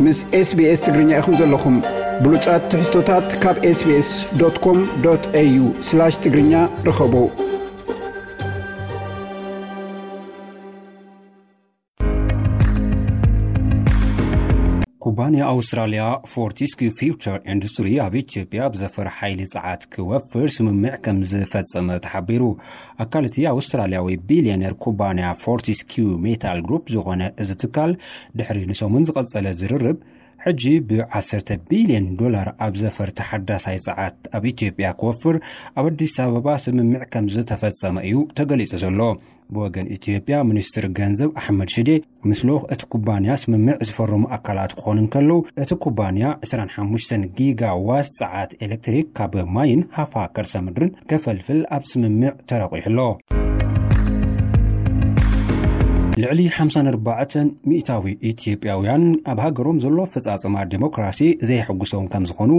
ምስ SBS ትግርኛ ኢኹም ዘለኹም። ብሉጻት ትሕዝቶታት ካብ SBS.com.au/ትግርኛ ርኸቡ። ኩባንያ ኣውስትራልያ ፎርቲስኪው ፊውቸር ኢንዱስትሪ ኣብ ኢትዮጵያ ብዘፈር ሓይሊ ጸዓት ክወፍር ስምምዕ ከም ዝፈጸመ ተሓቢሩ። ኣካል እቲ ኣውስትራልያዊ ቢልዮነር ኩባንያ ፎርቲስኪው ሜታል ግሩፕ ዝኾነ እዚ ትካል፣ ድሕሪ ንሰሙን ዝቐጸለ ዝርርብ፣ ሕጂ ብ10 ቢልዮን ዶላር ኣብ ዘፈር ተሓዳሳይ ጸዓት ኣብ ኢትዮጵያ ክወፍር ኣብ ኣዲስ ኣበባ ስምምዕ ከም ዝተፈጸመ እዩ ተገሊጹ ዘሎ። ብወገን ኢትዮጵያ፣ ሚኒስትር ገንዘብ ኣሕመድ ሽዴ፣ ምስ ልኡኽ እቲ ኩባንያ ስምምዕ ዝፈረሙ ኣካላት ክኾኑ እንከለዉ፣ እቲ ኩባንያ 25 ጊጋ ዋት ጸዓት ኤሌክትሪክ ካብ ማይን ሃፋ ከርሰ ምድርን ከፈልፍል ኣብ ስምምዕ ተረቂሑ ኣሎ። ልዕሊ 54% ኢትዮጵያውያን ኣብ ሃገሮም ዘሎ ኣፈጻጽማ ዲሞክራሲ ዘይሕጉሶም ከም ዝኾኑ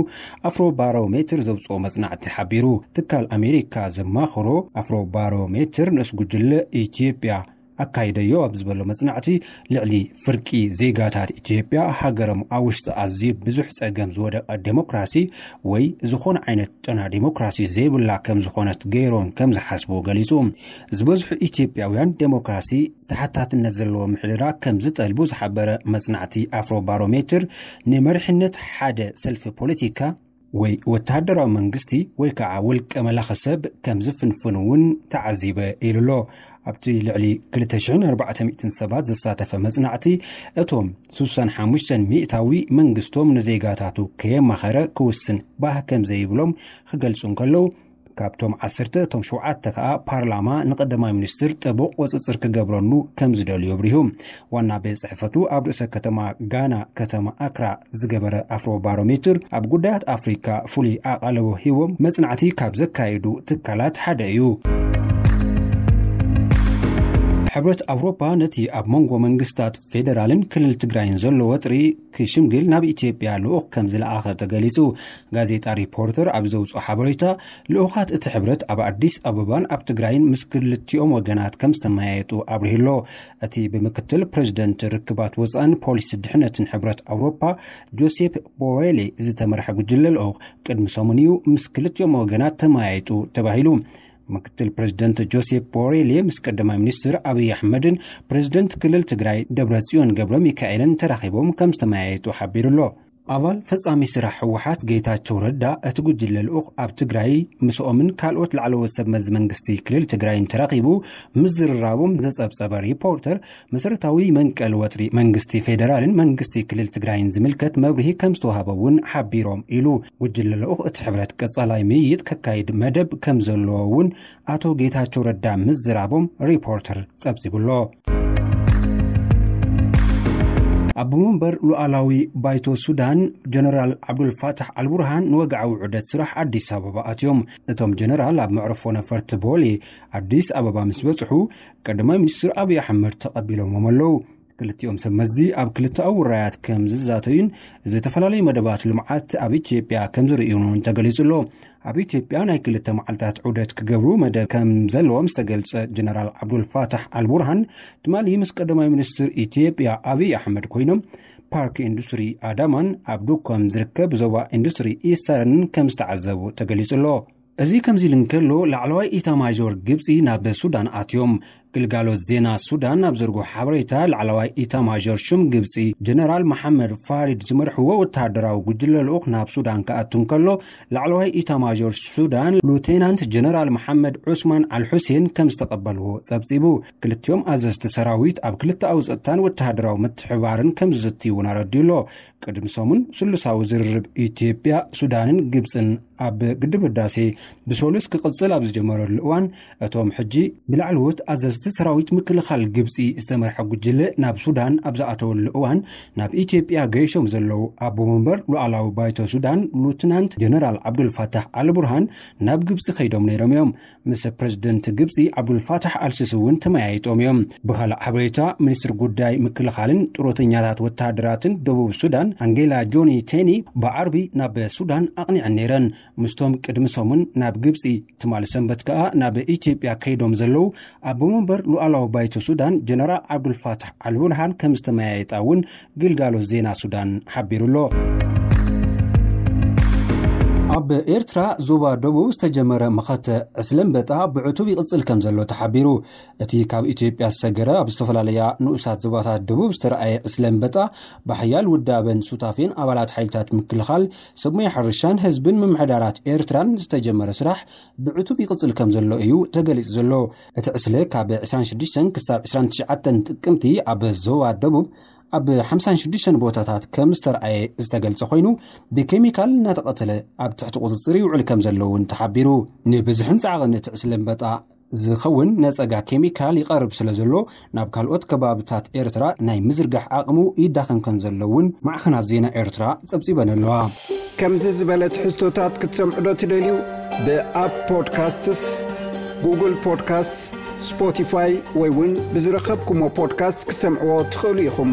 ኣፍሮ ባሮሜትር ዘውፅኦ መጽናዕቲ ሓቢሩ። ትካል ኣሜሪካ ዘማኽሮ ኣፍሮ ባሮሜትር ንእስ ጉጅለ ኢትዮጵያ ኣካይደዮ ኣብ ዝበሎ መጽናዕቲ፣ ልዕሊ ፍርቂ ዜጋታት ኢትዮጵያ ሃገሮም ኣብ ውሽጢ ኣዝዩ ብዙሕ ጸገም ዝወደቐ ዴሞክራሲ ወይ ዝኾነ ዓይነት ጨና ዴሞክራሲ ዘይብላ ከም ዝኾነት ገይሮም ከም ዝሓስቡ ገሊጹ። ዝበዝሑ ኢትዮጵያውያን ዴሞክራሲ ተሓታትነት ዘለዎ ምሕደራ ከም ዝጠልቡ ዝሓበረ መጽናዕቲ ኣፍሮ ባሮሜትር፣ ንመሪሕነት ሓደ ሰልፊ ፖለቲካ ወይ ወተሃደራዊ መንግስቲ ወይ ከዓ ውልቀ መላኺ ሰብ ከም ዝፍንፍን እውን ተዓዚበ ኢሉ ኣሎ። ኣብቲ ልዕሊ 2,400 ሰባት ዝሳተፈ መጽናዕቲ፣ እቶም 65% መንግስቶም ንዜጋታቱ ከየማኸረ ክውስን ባህ ከም ዘይብሎም ክገልጹ እንከለዉ፣ ካብቶም ዓሰርተ እቶም ሸውዓተ ከዓ ፓርላማ ንቀዳማይ ሚኒስትር ጥቡቕ ቁጽጽር ክገብረሉ ከም ዝደልዩ ኣብሪሁ። ዋና ቤት ጽሕፈቱ ኣብ ርእሰ ከተማ ጋና ከተማ ኣክራ ዝገበረ ኣፍሮ ባሮሜትር፣ ኣብ ጉዳያት ኣፍሪካ ፍሉይ ኣቓልቦ ሂቦም መጽናዕቲ ካብ ዘካየዱ ትካላት ሓደ እዩ። ሕብረት ኣውሮፓ ነቲ ኣብ መንጎ መንግስታት ፌደራልን ክልል ትግራይን ዘሎ ወጥሪ ክሽምግል ናብ ኢትዮጵያ ልኡኽ ከም ዝለኣኸ ተገሊጹ። ጋዜጣ ሪፖርተር ኣብ ዘውፅኦ ሓበሬታ፣ ልኡኻት እቲ ሕብረት ኣብ ኣዲስ ኣበባን ኣብ ትግራይን ምስ ክልቲኦም ወገናት ከም ዝተመያየጡ ኣብሪሁ ኣሎ። እቲ ብምክትል ፕሬዚደንት ርክባት ወፃእን ፖሊሲ ድሕነትን ሕብረት ኣውሮፓ፣ ጆሴፕ ቦሬሌ ዝተመርሐ ጉጅለ ልኡኽ ቅድሚ ሰሙን እዩ ምስ ክልቲኦም ወገናት ተመያይጡ ተባሂሉ። ምክትል ፕሬዚደንት ጆሴፕ ቦሬሌ ምስ ቀዳማይ ሚኒስትር ኣብይ ኣሕመድን ፕሬዚደንት ክልል ትግራይ ደብረ ጽዮን ገብረ ሚካኤልን ተራኺቦም ከም ዝተመያየጡ ሓቢሩ ኣሎ። ኣባል ፈጻሚ ስራሕ ህወሓት ጌታቸው ረዳ፣ እቲ ጉጅለ ልኡኽ ኣብ ትግራይ ምስኦምን ካልኦት ላዕለዎት ሰብ መዚ መንግስቲ ክልል ትግራይን ተራኺቡ ምዝርራቦም ዘጸብጸበ ሪፖርተር፣ መሰረታዊ መንቀል ወጥሪ መንግስቲ ፌደራልን መንግስቲ ክልል ትግራይን ዝምልከት መብርሂ ከም ዝተዋህበ እውን ሓቢሮም ኢሉ። ጉጅለ ልኡኽ እቲ ሕብረት ቀጻላይ ምይይጥ ከካይድ መደብ ከም ዘለዎ እውን ኣቶ ጌታቸው ረዳ ምዝራቦም ሪፖርተር ጸብጺቡ ኣሎ። ኣቦ መንበር ሉዓላዊ ባይቶ ሱዳን ጀነራል ዓብዱልፋታሕ ኣልቡርሃን ንወግዓዊ ዑደት ስራሕ ኣዲስ ኣበባ ኣትዮም። እቶም ጀነራል ኣብ መዕርፎ ነፈርቲ ቦሌ ኣዲስ ኣበባ ምስ በጽሑ፣ ቀዳማይ ሚኒስትር ኣብይ ኣሕመድ ተቐቢሎሞም ኣለዉ። ክልቲኦም ሰብ መዚ ኣብ ክልተኣዊ ውራያት ከም ዝዛተዩን ዝተፈላለዩ መደባት ልምዓት ኣብ ኢትዮጵያ ከም ዝርእዩን እውን ተገሊጹ ኣሎ። ኣብ ኢትዮጵያ ናይ ክልተ መዓልታት ዑደት ክገብሩ መደብ ከም ዘለዎም ዝተገልጸ ጀነራል ዓብዱልፋታሕ ኣልቡርሃን፣ ትማሊ ምስ ቀዳማይ ሚኒስትር ኢትዮጵያ ኣብይ ኣሕመድ ኮይኖም ፓርክ ኢንዱስትሪ ኣዳማን ኣብ ዱኮም ዝርከብ ዞባ ኢንዱስትሪ ኢስተርን ከም ዝተዓዘቡ ተገሊጹ ኣሎ። እዚ ከምዚ ኢሉ እንከሎ፣ ላዕለዋይ ኢታማዦር ግብጺ ናብ ሱዳን ኣትዮም። ግልጋሎት ዜና ሱዳን ኣብ ዘርግሖ ሓበሬታ፣ ላዕለዋይ ኢታማዦር ሹም ግብጺ ጀነራል መሓመድ ፋሪድ ዝመርሕዎ ወተሃደራዊ ጉጅለ ልኡኽ ናብ ሱዳን ክኣቱ እንከሎ፣ ላዕለዋይ ኢታማዦር ሱዳን ሉቴናንት ጀነራል መሓመድ ዑስማን ኣልሑሴን ከም ዝተቐበልዎ ጸብጺቡ። ክልቲኦም ኣዘዝቲ ሰራዊት ኣብ ክልተኣዊ ጸጥታን ወተሃደራዊ ምትሕባርን ከም ዝዝትዩ እውን ኣረዲኡ ኣሎ። ቅድሚ ሰሙን ስሉሳዊ ዝርርብ ኢትዮጵያ፣ ሱዳንን ግብጽን ኣብ ግድብ ህዳሴ ብሶሉስ ክቕጽል ኣብ ዝጀመረሉ እዋን፣ እቶም ሕጂ ብላዕለዎት ኣዘዝቲ ሰራዊት ምክልኻል ግብጺ ዝተመርሐ ጉጅለ ናብ ሱዳን ኣብ ዝኣተወሉ እዋን፣ ናብ ኢትዮጵያ ገይሾም ዘለዉ ኣቦ መንበር ሉዓላዊ ባይቶ ሱዳን ሉትናንት ጀነራል ዓብዱልፋታሕ ኣልቡርሃን ናብ ግብጺ ከይዶም ነይሮም እዮም። ምስ ፕሬዝደንት ግብጺ ዓብዱልፋታሕ ኣልሲሲ እውን ተመያይጦም እዮም። ብኻልእ ሓበሬታ፣ ሚኒስትር ጉዳይ ምክልኻልን ጥሮተኛታት ወተሃደራትን ደቡብ ሱዳን ኣንጌላ ጆኒ ቴኒ ብዓርቢ ናብ ሱዳን ኣቕኒዐን ነይረን። ምስቶም ቅድሚ ሰሙን ናብ ግብጺ፣ ትማሊ ሰንበት ከኣ ናብ ኢትዮጵያ ከይዶም ዘለዉ ኣቦ በር ሉዓላዊ ባይቶ ሱዳን ጀነራል ዓብዱልፋታሕ ኣልቡርሃን ከም ዝተመያየጣ እውን ግልጋሎት ዜና ሱዳን ሓቢሩ ኣሎ። ኣብ ኤርትራ ዞባ ደቡብ ዝተጀመረ መኸተ ዕስለ ኣንበጣ ብዕቱብ ይቕጽል ከም ዘሎ ተሓቢሩ። እቲ ካብ ኢትዮጵያ ዝሰገረ ኣብ ዝተፈላለያ ንኡሳት ዞባታት ደቡብ ዝተረኣየ ዕስለ ኣንበጣ ብሓያል ውዳበን ሱታፌን ኣባላት ሓይልታት ምክልኻል፣ ሰብ ሞያ ሕርሻን ህዝብን ምምሕዳራት ኤርትራን ዝተጀመረ ስራሕ ብዕቱብ ይቕጽል ከም ዘሎ እዩ ተገሊጹ ዘሎ። እቲ ዕስለ ካብ ዕስራን ሽዱሽተን ክሳብ ዕስራን ትሽዓተን ጥቅምቲ ኣብ ዞባ ደቡብ ኣብ ሓምሳን ሽዱሽተን ቦታታት ከም ዝተረኣየ ዝተገልጸ ኮይኑ፣ ብኬሚካል እናተቐተለ ኣብ ትሕቲ ቁጽጽር ይውዕል ከም ዘሎ እውን ተሓቢሩ። ንብዝሕን ጻዕቕን እቲ ዕስለ ኣንበጣ ዝኸውን ነጸጋ ኬሚካል ይቐርብ ስለ ዘሎ፣ ናብ ካልኦት ከባብታት ኤርትራ ናይ ምዝርጋሕ ዓቕሙ ይዳኸም ከም ዘሎ እውን ማዕኸናት ዜና ኤርትራ ጸብጺበን ኣለዋ። ከምዚ ዝበለ ትሕዝቶታት ክትሰምዑ ዶ ትደልዩ? ብኣፕ ፖድካስትስ፣ ጉግል ፖድካስት፣ ስፖቲፋይ ወይ እውን ብዝረኸብኩሞ ፖድካስት ክትሰምዕዎ ትኽእሉ ኢኹም።